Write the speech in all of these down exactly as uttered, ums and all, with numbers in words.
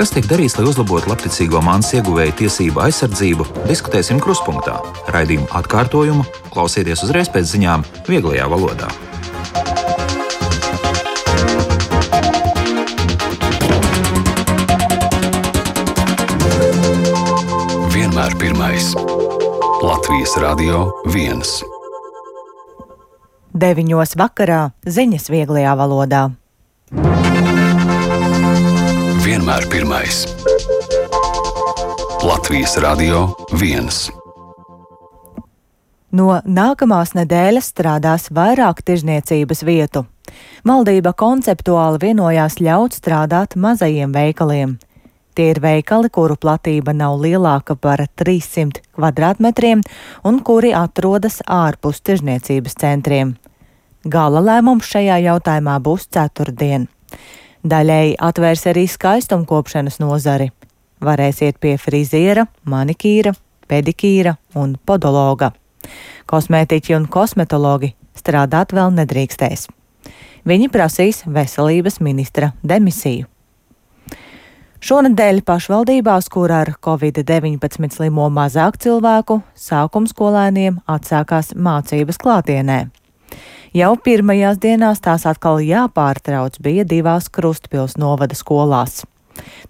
Kas tiek darīts, lai uzlabotu labticīgo mantas ieguvēju tiesību aizsardzību, diskutēsim Kruspunktā. Raidījumu atkārtojumu klausieties uzreiz pēc ziņām vieglajā valodā. Vienmēr pirmais. Latvijas Radio viens. Deviņos vakarā ziņas vieglajā valodā. Vienmēr pirmais. Latvijas Radio viens. No nākamās nedēļas strādās vairāk tirzniecības vietu. Valdība konceptuāli vienojās ļaut strādāt mazajiem veikaliem. Tie ir veikali, kuru platība nav lielāka par trīssimt kvadrātmetriem un kuri atrodas ārpus tirzniecības centriem. Gala lēmums šajā jautājumā būs ceturtdien. Daļēji atvērs arī skaistumkopšanas nozari. Varēs iet pie friziera, manikīra, pedikīra un podologa. Kosmētiķi un kosmetologi strādāt vēl nedrīkstēs. Viņi prasīs veselības ministra demisiju. Šonedēļ pašvaldībās, kur ar covid deviņpadsmit slimo mazāk cilvēku, sākumskolēniem atsākās mācības klātienē. Jau pirmajās dienās tās atkal jāpārtrauc bija divās Krustpils novada skolās.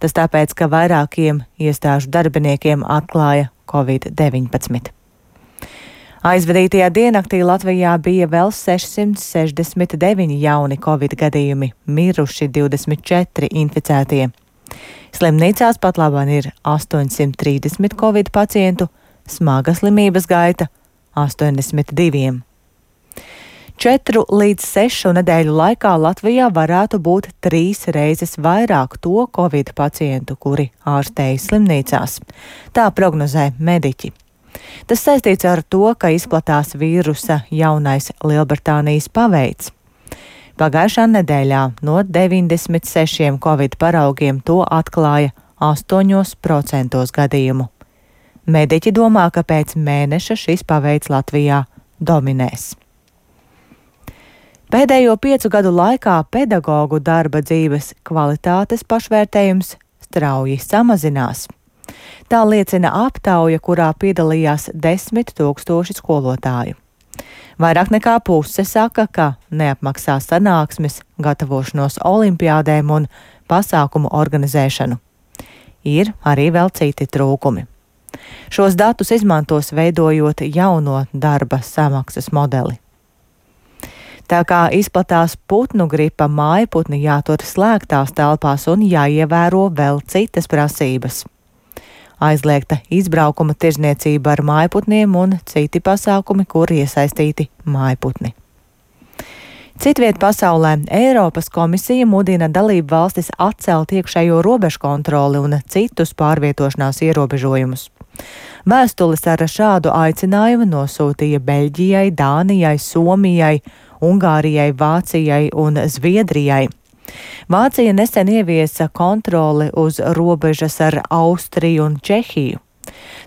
Tas tāpēc, ka vairākiem iestāžu darbiniekiem atklāja covid deviņpadsmit. Aizvadītajā diennaktī Latvijā bija vēl sešsimt sešdesmit deviņi jauni covid gadījumi, miruši divdesmit četri inficētie. Slimnīcās pat labāk ir astoņsimt trīsdesmit covid pacientu, smaga slimības gaita astoņdesmit divi. Četru līdz sešu nedēļu laikā Latvijā varētu būt trīs reizes vairāk to covid pacientu, kuri ārstējas slimnīcās. Tā prognozē mediķi. Tas saistīts ar to, ka izplatās vīrusa jaunais Lielbritānijas paveids. Pagājušā nedēļā no deviņdesmit sešiem covid paraugiem to atklāja astoņos procentos gadījumu. Mediķi domā, ka pēc mēneša šis paveids Latvijā dominēs. Pēdējo piecu gadu laikā pedagogu darba dzīves kvalitātes pašvērtējums strauji samazinās. Tā liecina aptauja, kurā piedalījās desmit tūkstoši skolotāju. Vairāk nekā puse saka, ka neapmaksā sanāksmes, gatavošanos olimpiādēm un pasākumu organizēšanu. Ir arī vēl citi trūkumi. Šos datus izmantos veidojot jauno darba samaksas modeli. Tā kā izplatās putnu gripa, mājputni jātur slēgtās telpās un jāievēro vēl citas prasības. Aizliegta izbraukuma tirzniecība ar mājputniem un citi pasākumi, kur iesaistīti mājputni. Citviet pasaulē Eiropas komisija mudina dalību valstis atcelt iekšējo robežu kontroli un citus pārvietošanās ierobežojumus. Vēstules ar šādu aicinājumu nosūtīja Beļģijai, Dānijai, Somijai, Ungārijai, Vācijai un Zviedrijai. Vācija nesen ieviesa kontroli uz robežas ar Austriju un Čehiju.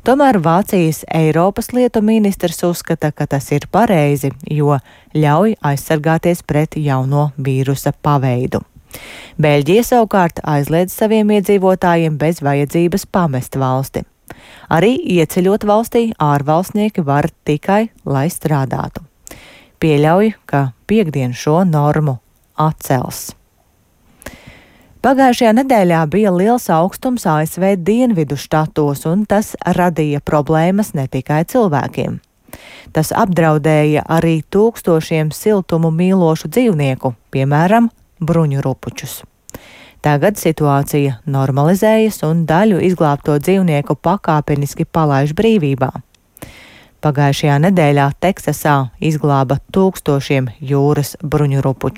Tomēr Vācijas Eiropas lietu ministrs uzskata, ka tas ir pareizi, jo ļauj aizsargāties pret jauno vīrusa paveidu. Beļģija savukārt aizliedz saviem iedzīvotājiem bez vajadzības pamest valsti. Arī ieceļot valstī ārvalstnieki var tikai, lai strādātu. Pieļauj, ka piekdien šo normu atcels. Pagājušajā nedēļā bija liels augstums A S V dienvidu štatos, un tas radīja problēmas ne tikai cilvēkiem. Tas apdraudēja arī tūkstošiem siltumu mīlošu dzīvnieku, piemēram, bruņurupučus. Tagad situācija normalizējas un daļu izglābto dzīvnieku pakāpeniski palaiž brīvībā. Pagājušajā nedēļā Teksasā izglāba tūkstošiem jūras bruņurupuču.